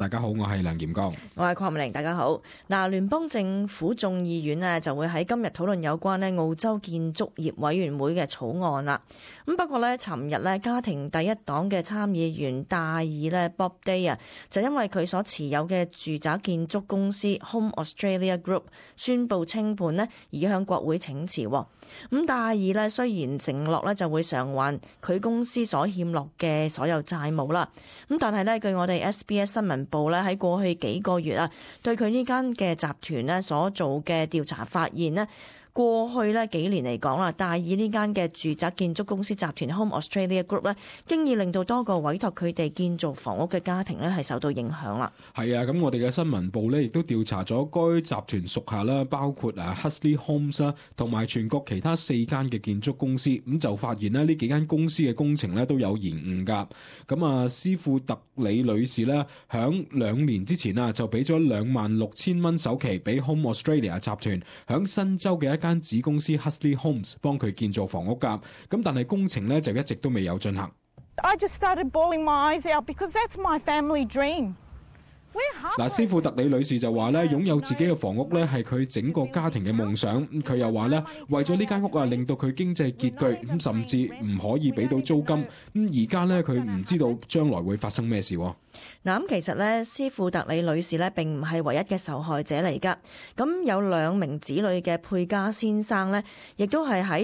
大家好，我係梁炎剛，我係鄺美玲。大家好。嗱，聯邦政府眾議院呢就會喺今日討論有關呢澳洲建築業委員會嘅草案啦。咁不過呢，尋日呢家庭第一黨嘅參議員戴爾呢 Bob Day 啊，就因為佢所持有嘅住宅建築公司 Home Australia Group 宣布清盤呢，而向國會請辭。咁戴爾呢雖然承諾呢就會償還佢公司所欠落嘅所有債務啦，咁但係呢，據我哋 SBS 新聞部咧喺過去幾個月啊，對佢呢間嘅集團咧所做嘅調查發現咧，過去咧幾年嚟講啦，戴爾呢間嘅住宅建築公司集團 Home Australia Group 咧，經已令到多個委託佢哋建造房屋嘅家庭咧係受到影響啦。係啊，咁我哋嘅新聞部咧亦都調查咗該集團屬下啦，包括Huxley Homes 啦，同埋全國其他4間嘅建築公司，咁就發現咧呢幾間公司嘅工程咧都有延誤㗎。咁斯庫特里女士咧響2年之前啊就俾咗26,000蚊首期俾 Home Australia 集團響新州嘅一間子公司 Huxley Homes 幫佢建造房屋㗎，咁但係工程咧就一直都未有進行。I just started bawling my eyes out because that's my family dream. 斯庫特里女士就話咧，擁有自己嘅房屋咧係佢整個家庭嘅夢想。佢又話咧，為咗呢間屋令到佢經濟拮據，咁甚至唔可以俾到租金。咁而家咧佢唔知道將來會發生咩事。嗱，咁其實咧，斯庫特里女士咧並唔係唯一嘅受害者嚟㗎。咁有2名子女嘅佩加先生咧，亦都係喺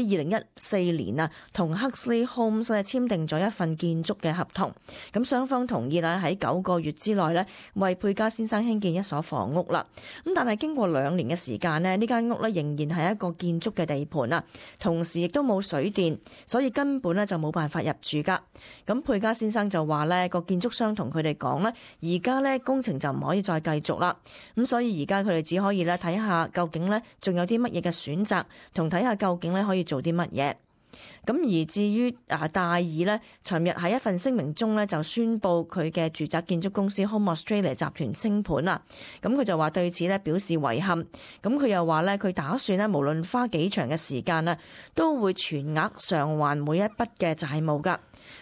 2014年啊，同 Huxley Homes 咧簽訂咗一份建築嘅合同。咁雙方同意啦，喺9個月之內咧，為佩加先生興建一所房屋啦。咁但係經過2年嘅時間呢，呢間屋咧仍然係一個建築嘅地盤啊，同時亦都冇水電，所以根本咧就冇辦法入住㗎。咁佩加先生就話咧，個建築商同佢哋講咧，而家咧工程就唔可以再繼續啦。咁所以而家佢哋只可以咧睇下究竟咧仲有啲乜嘢嘅選擇，同睇下究竟咧可以做啲乜嘢。咁而至於戴爾呢，尋日喺一份聲明中呢，就宣布佢嘅住宅建築公司 Home Australia 集團清盤啦。咁佢就話對此呢表示遺憾。咁佢又話呢，佢打算呢無論花幾長嘅時間呢，都會全額償還每一筆嘅債務㗎。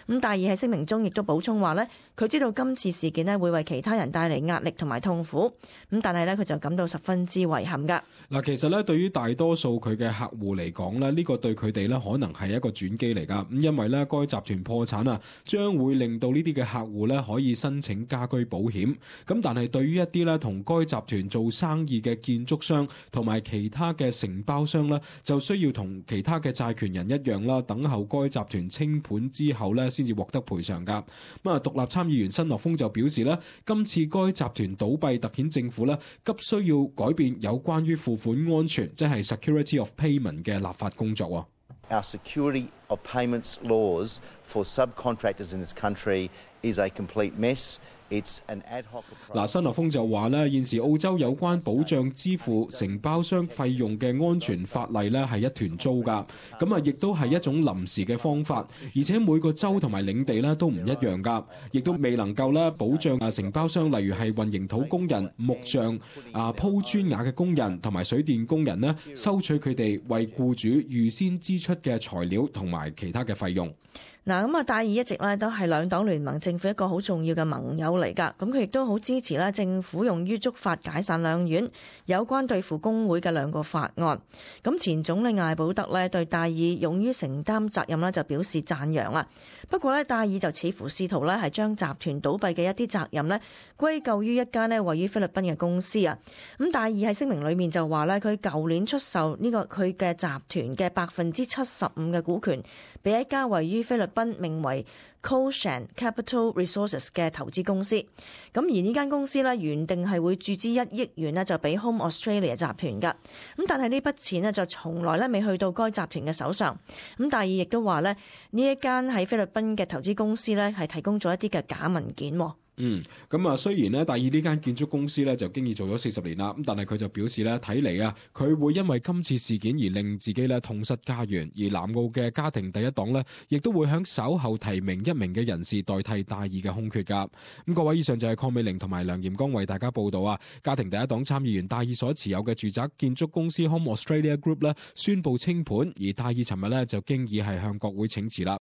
咁戴爾喺聲明中亦都補充話呢，佢知道今次事件呢會為其他人帶嚟壓力同埋痛苦。咁但係呢，佢就感到十分之遺憾㗎。嗱，其實呢，對於大多數佢嘅客戶嚟講呢，呢個對佢哋呢可能係一個轉機嚟㗎。咁因為呢，該集團破產啊，將會令到呢啲嘅客戶呢可以申請家居保險。咁但係對於一啲呢同該集團做生意嘅建築商同埋其他嘅承包商呢，就需要同其他嘅債權人一樣啦，等候該集團清盤之後呢先至獲得賠償㗎。獨立參議員新諾豐就表示呢，今次該集團倒閉突顯政府呢急需要改變有關於付款安全，即係 security of payment 嘅立法工作。Our security of payments laws for subcontractors in this country is a complete mess. It's an ad hoc approach. 新諾豐就話咧，現時澳洲有關保障支付承包商費用嘅安全法例咧係一團糟㗎，咁亦都係一種臨時嘅方法，而且每個州同埋領地咧都唔一樣㗎，亦都未能夠咧保障承包商，例如係混凝土工人、木匠、鋪磚瓦嘅工人同埋水電工人呢，收取佢哋為僱主預先支出嘅材料同埋其他嘅費用。嗱，戴爾一直咧都係兩黨聯盟政府一個好重要嘅盟友嚟㗎，咁佢亦都好支持咧政府用於觸發解散兩院有關對付工會嘅2個法案。咁前總理艾保德咧對戴爾勇於承擔責任咧就表示讚揚啦。不過咧戴爾就似乎試圖咧係將集團倒閉嘅一啲責任咧歸咎於一間咧位於菲律賓嘅公司啊。咁戴爾喺聲明裏面就話咧，佢舊年出售呢個佢嘅集團嘅75%嘅股權俾一家位於菲律賓名為 Coshan Capital Resources 嘅投資公司。咁而呢間公司咧原定係會注資1億元咧就俾 Home Australia 集團㗎。咁但係呢筆錢咧就從來咧未去到該集團嘅手上。咁戴爾亦都話咧呢一間喺菲律賓嘅投資公司咧係提供咗一啲嘅假文件。雖然咧，戴爾呢間建築公司咧就經已做咗40年啦，咁但係佢就表示咧，睇嚟佢會因為今次事件而令自己咧痛失家園，而南澳嘅家庭第一黨咧，亦都會響稍後提名1名嘅人士代替戴爾嘅空缺㗎。各位，以上就係鄺美玲同埋梁炎剛為大家報道啊。家庭第一黨參議員戴爾所持有嘅住宅建築公司 Home Australia Group 咧宣布清盤，而戴爾尋日咧就經已係向國會請辭啦。